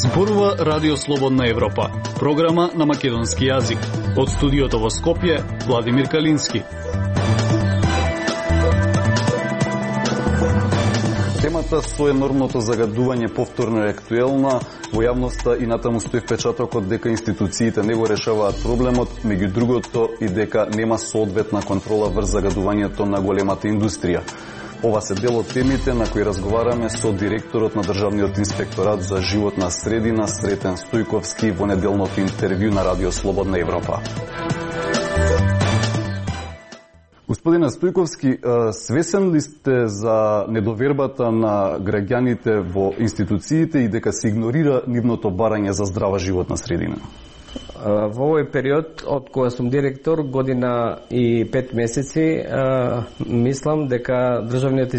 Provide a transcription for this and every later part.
Зборува Радио Слободна Европа, програма на македонски јазик. Од студиото во Скопје, Владимир Калински. Темата со енормното загадување повторно е актуелна во јавноста и натаму стои впечатокот дека институциите не го решаваат проблемот, меѓу другото и дека нема соодветна контрола врз загадувањето на големата индустрија. Ова се дел од темите на кои разговараме со директорот на Државниот инспекторат за животна средина Сретен Стојковски во неделното интервју на Радио Слободна Европа. Господине Стојковски, свесен ли сте за недовербата на граѓаните во институциите и дека се игнорира нивното барање за здрава животна средина? Во овој период, од кога сум директор, година и 5 месеци, мислам дека Државниот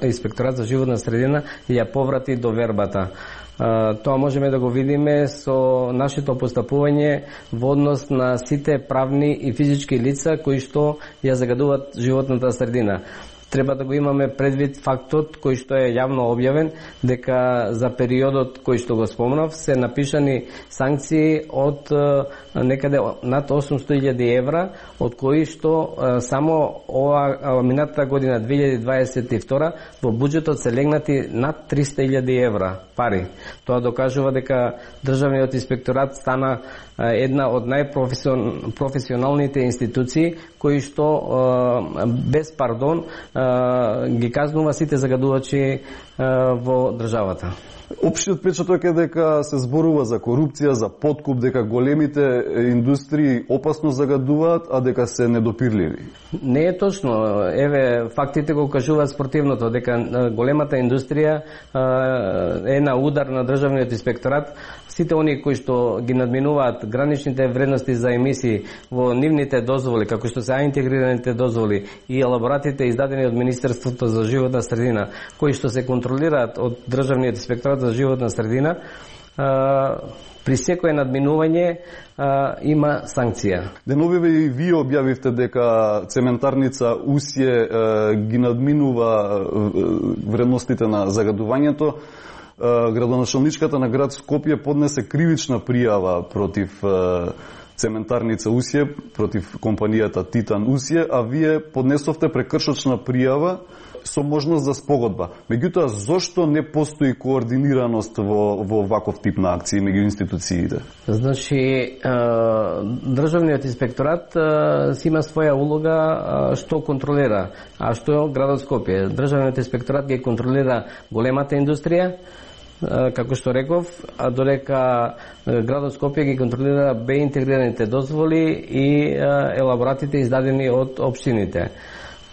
инспекторат за животна средина ја поврати довербата. Тоа можеме да го видиме со нашето постапување во однос на сите правни и физички лица кои што ја загадуваат животната средина. Треба да го имаме предвид фактот кој што е јавно објавен, дека за периодот кој што го спомнав се напишани санкции од некаде над 800.000 евра, од кои што само ова минатата година 2022 во буџетот се легнати над 300.000 евра пари. Тоа докажува дека Државниот инспекторат стана една од најпрофесионалните институции кои што без пардон ги казнува сите загадувачи во државата. Општиот впечаток е дека се зборува за корупција, за подкуп, дека големите индустрии опасно загадуваат, а дека се недопирливи. Не е точно. Еве, фактите го кажуваат спротивното, дека големата индустрија е на удар на Државниот инспекторат. Сите они кои што ги надминуваат граничните вредности за емисии во нивните дозволи, како што се интегрираните дозволи и елаборатите издадени од Министерството за животна средина, кои што се контролираат од Државниот инспекторат за животна средина, при секое надминување има санкција. Деновиве и вие објавивте дека цементарница Усје ги надминува вредностите на загадувањето. Градоначалничката на град Скопје поднесе кривична пријава против цементарница Усје, против компанијата Титан Усје, а вие поднесовте прекршочна пријава со можност за спогодба. Меѓутоа, зошто не постои координираност во ваков тип на акции меѓу институциите? Значи, Државниот инспекторат си има своја улога што контролира, а што градот Скопје. Државниот инспекторат ги контролира големата индустрија, како што реков, а додека градот Скопје ги контролира интегрираните дозволи и елаборатите издадени од општините.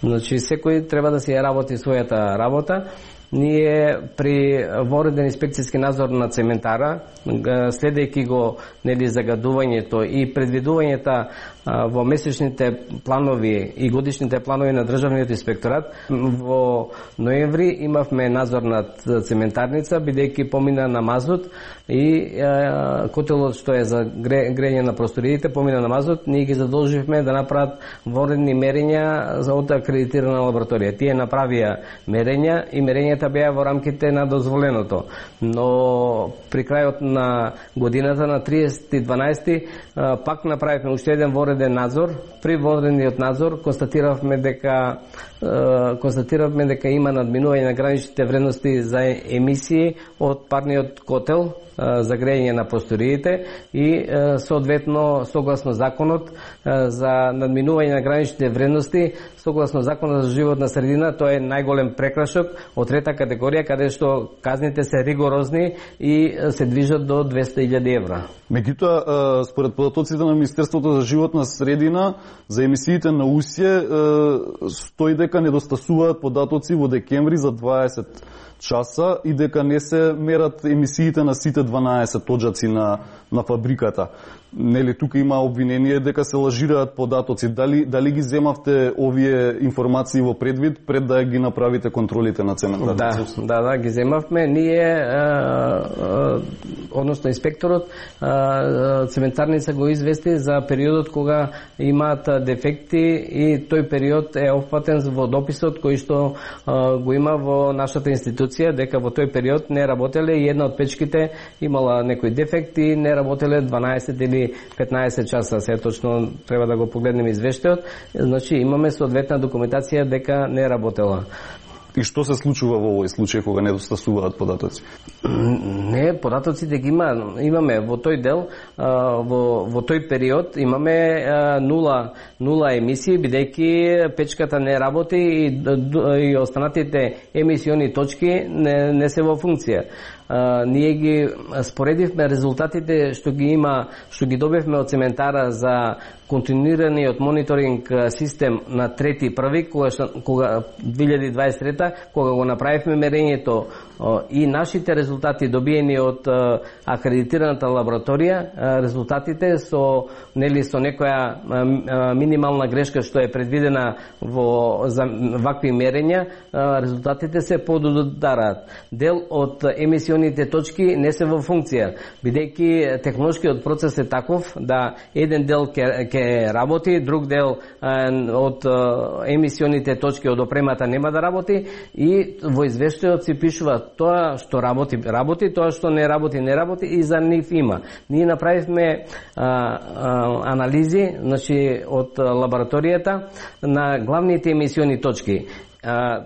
Значи, секој треба да си ја работи својата работа. Ние при вореден инспекцијски надзор на цементара, следејќи го загадувањето и предвидувањето во месечните планови и годишните планови на Државниот инспекторат, во ноември имавме надзор над цементарница, бидејќи помина на мазут и котелот што е за грејење на просториите помина на мазут, ние ги задолживме да направат воредни мерења за од акредитирана лабораторија. Тие направија мерења и мерењата беа во рамките на дозволеното. Но при крајот на годината на 30.12 пак направивме уште еден вореден надзор. При воредниот надзор констатиравме дека има надминување на граничните вредности за емисии од парниот котел за грејење на просториите и соодветно согласно законот за надминување на граничните вредности, согласно законот за животна средина, тоа е најголем прекрашок од трета категорија, каде што казните се ригорозни и се движат до 200.000 евра. Меѓутоа, според податоците на Министерството за животна средина, за емисиите на Усје стои дека недостасуваат податоци во декември за 20 часа и дека не се мерат емисиите на сите 12 тоџаци на фабриката. Нели тука има обвинение дека се лажираат податоци. Дали ги земавте овие информации во предвид пред да ги направите контролите на цементарница? Да, ги земавме. Ние, односно инспекторот, цементарница го извести за периодот кога имаат дефекти и тој период е опфатен во дописот кој што го има во нашата институција, дека во тој период не работеле и една од печките имала некој дефект и не работеле 12 или 15 часа. Се точно треба да го погледнеме извештајот. Значи имаме соодветна документација дека не работела. И што се случува во овој случај кога недостасуваат податоци? Не, податоците ги имаме во тој дел, во тој период имаме нула емисии, бидејќи печката не работи и останатите емисиони точки не се во функција. Ние ги споредивме резултатите што ги добивме од цементара за континуираниот мониторинг систем на 3.1. кога 2023 кога го направивме мерењето и нашите резултати добиени од акредитираната лабораторија, резултатите со некоја минимална грешка што е предвидена за вакви мерења, резултатите се подудараат. Дел од емисионите точки не се во функција, бидејќи технолошкиот процес е таков да еден дел ќе работи, друг дел од емисионите точки од опремата нема да работи и во извештајот се пишува тоа што работи, тоа што не работи и за нив има. Ние направивме анализи, значи од лабораторијата на главните емисиони точки.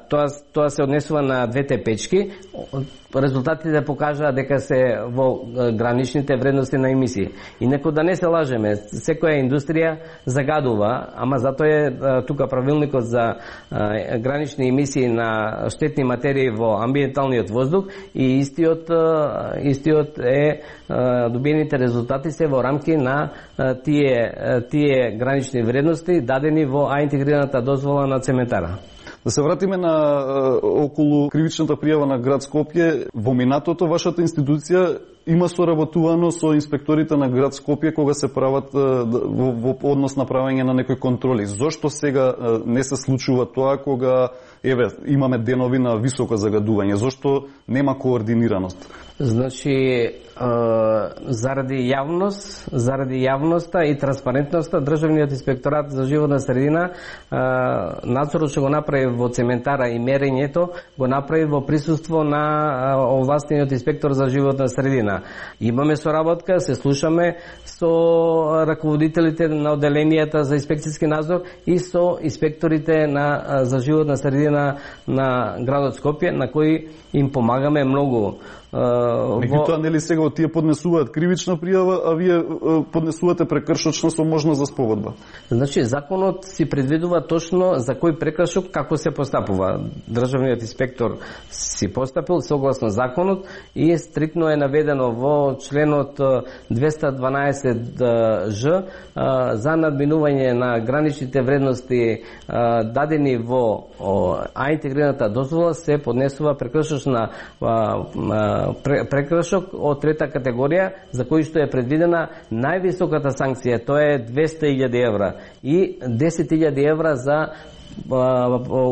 Тоа се однесува на двете печки. Резултатите покажаа дека се во граничните вредности на емисии. Инаку да не се лажеме, секоја индустрија загадува, ама затоа е тука правилникот за гранични емисии на штетни материи во амбиенталниот воздух и истиот е добиените резултати се во рамки на тие гранични вредности дадени во интегрираната дозвола на цементара. Да се вратиме на околу кривичната пријава на град Скопје. Во минатото вашата институција има соработувано со инспекторите на град Скопје кога се прават во однос на правење на некои контроли. Зошто сега не се случува тоа кога имаме денови на високо загадување? Зошто нема координираност? Значи, заради јавноста и транспарентноста, Државниот инспекторат за животна средина надзорот што го направи во цементара и мерењето го направи во присуство на овластениот инспектор за животна средина. Имаме соработка, се слушаме со раководителите на одделенијата за инспекцијски надзор и со инспекторите за животна средина на градот Скопје, на кои им помагаме многу. Меѓутоа, нели сега тие поднесуваат кривична пријава, а вие поднесувате прекршочна со можност за спогодба? Значи, законот си предвидува точно за кој прекршок како се постапува. Државниот инспектор си постапил согласно законот и стриктно е наведено во членот 212Ж за надминување на граничните вредности дадени во интегрираната дозвола се поднесува прекршочна прекршок од трета категорија за кој што е предвидена највисоката санкција, тоа е 200.000 евра и 10.000 евра за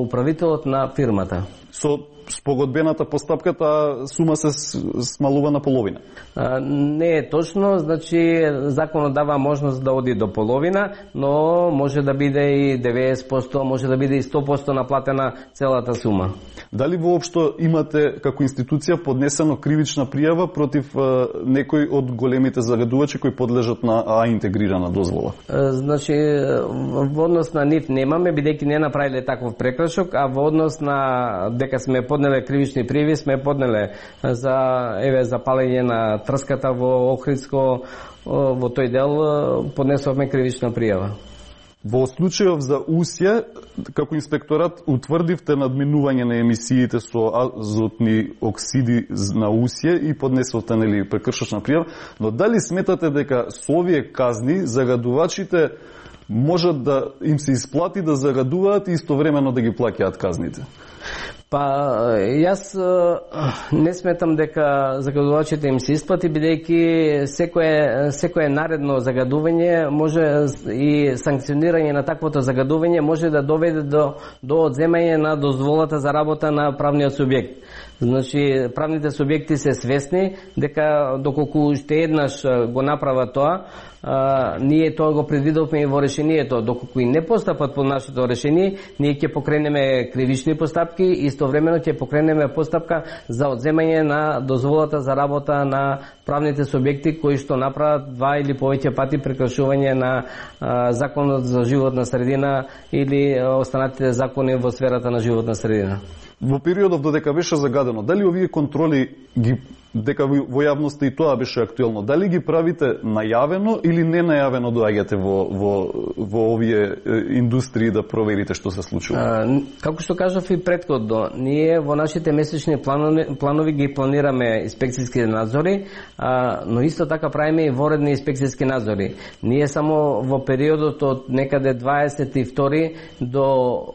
управителот на фирмата. Со спогодбената постапка таа сума се смалува на половина? Не е точно, значи законот дава можност да оди до половина, но може да биде и 90%, може да биде и 100% наплатена целата сума. Дали воопшто имате како институција поднесено кривична пријава против некој од големите загадувачи кои подлежат на интегрирана дозвола? Значи, во однос на нив немаме, бидејќи не направиле таков прекршок, а во однос на дека сме поднеле кривични пријави, сме поднеле за палење на трската во Охридско, во тој дел поднесовме кривична пријава. Во случајов за Усје, како инспекторат, утврдивте надминување на емисиите со азотни оксиди на Усје и поднесовте прекршочна пријава, но дали сметате дека со овие казни загадувачите можат да им се исплати да загадуваат и истовремено да ги плаќаат казните? Па јас не сметам дека загадувачите им се исплати, бидејќи секое наредно загадување може и санкционирање на таквото загадување може да доведе до одземање на дозволата за работа на правниот субјект. Значи, правните субјекти се свесни дека доколку уште еднаш го направа тоа, ние тоа го предвидовме и во решението. Доколку и не постапат по нашето решение, ние ќе покренеме кривични постапки и истовремено ќе покренеме постапка за одземање на дозволата за работа на правните субјекти кои што направат 2 или повеќе пати прекршување на законот за животна средина или останатите закони во сферата на животна средина. Во периодов додека беше загадено, дали овие контроли дека во јавноста и тоа беше актуелно, дали ги правите најавено или не најавено доаѓате во овие индустрии да проверите што се случува? Како што кажав и претходно, ние во нашите месечни планови ги планираме инспекцијски надзори, но исто така правиме и воредни инспекцијски надзори. Ние само во периодот од некаде 22 до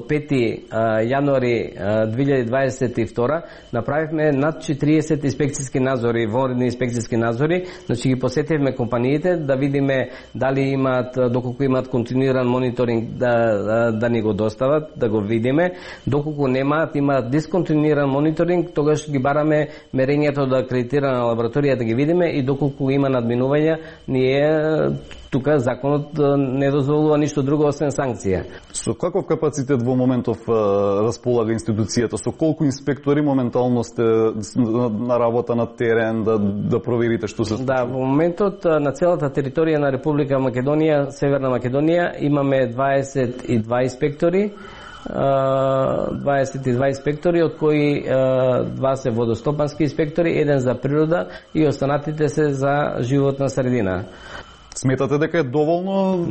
5 јануари 2022 направивме над 30 инспекцијски надзори, воредни инспекцијски надзори, значи ги посетивме компаниите да видиме дали имаат, доколку имаат континуиран мониторинг да ни го достават, да го видиме, доколку немаат, имаат дисконтинуиран мониторинг, тогаш ги бараме мерењето да акредитирана лабораторија да ги видиме и доколку има надминувања, ние тука законот не дозволува ништо друго освен санкција. Со каков капацитет во моментов располага институцијата? Со колку инспектори моментално сте на работа на терен да проверите што се случува? Да, во моментот на целата територија на Република Македонија, Северна Македонија, имаме 22 инспектори. 22 инспектори, од кои 2 се водостопански инспектори, 1 за природа и останатите се за животна средина. Сметате дека е доволно?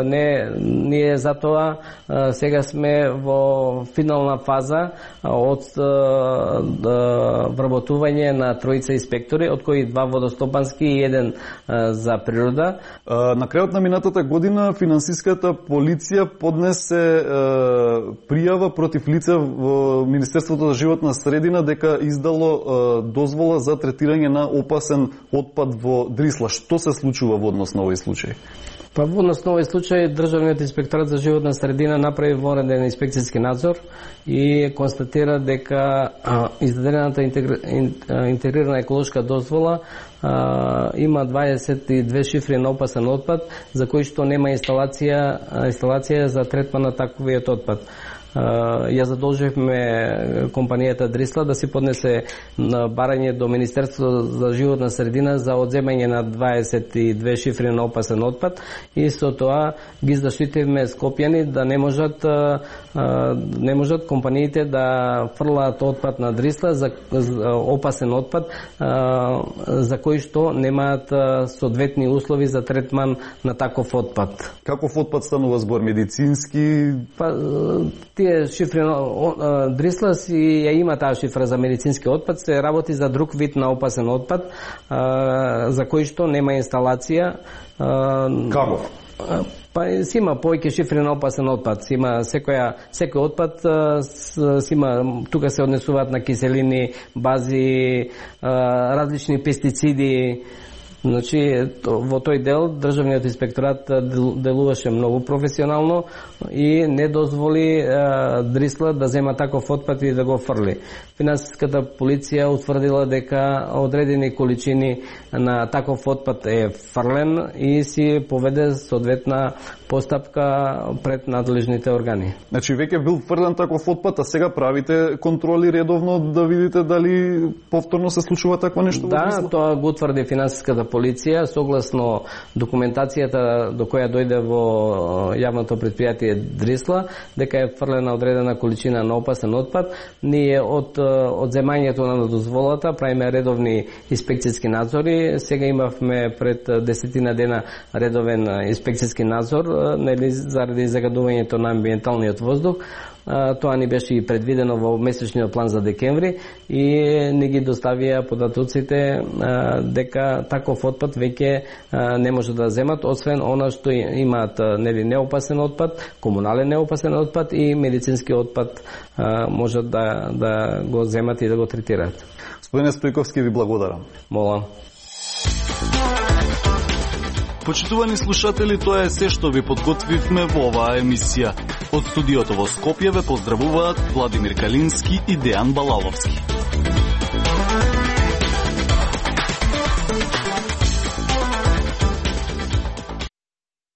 Не, ние затоа сега сме во финална фаза од вработување на 3 инспектори, од кои 2 водостопански и 1 за природа. На крајот на минатата година финансиската полиција поднесе пријава против лице во Министерството за животна средина дека издало дозвола за третирање на опасен отпад во Дрисла. Што се случува во однос на овој случај? Па во однос на овој случај Државниот инспекторат за животна средина направи вореден инспекцијски надзор и констатира дека издадената интегрирана еколошка дозвола има 22 шифри на опасен отпад за кои што нема инсталација за третман на таквиот отпад. Ја задолживме компанијата Дрисла да си поднесе барање до Министерството за животна средина за одземање на 22 шифри на опасен отпад и со тоа ги заштитивме скопјани да не можат компаниите да фрлаат отпад на Дрисла за опасен отпад за кои што немаат соодветни услови за третман на таков отпад. Каков отпад станува збор? Медицински? Па, тие шифри Дрисла си ја има таа шифра за медицински отпад, се работи за друг вид на опасен отпад за кој што нема инсталација. Каков? Па си има повеќе шифри на опасен отпад. Си има секој отпад си има, тука се однесуваат на киселини, бази, различни пестициди. Значи, во тој дел Државниот инспекторат делуваше многу професионално и не дозволи Дрисла да зема таков отпад и да го фрли. Финансиската полиција утврдила дека одредени количини на таков отпад е фрлен и си поведе соодветна постапка пред надлежните органи. Значи, веќе бил фрлен таков отпад, а сега правите контроли редовно да видите дали повторно се случува такво нешто? Да, тоа го утврди финансиската полиција согласно документацијата до која дојде во јавното предпријатие Дрисла, дека е фрлена одредена количина на опасен отпад. Ние од одземањето на дозволата правиме редовни инспекцијски надзори. Сега имавме пред 10 дена редовен инспекцијски надзор заради загадувањето на амбиенталниот воздух. тоа ни беше и предвидено во месечниот план за декември и не ги доставија податоците дека таков отпад веќе не може да земат, освен она што имаат неопасен отпад, комунален неопасен отпад и медицински отпад можат да го земат и да го третираат. Господине Стојковски, ви благодарам. Молам. Почитувани слушатели, тоа е се што ви подготвивме во оваа емисија. Од студиото во Скопје ве поздравуваат Владимир Калински и Дејан Балаловски.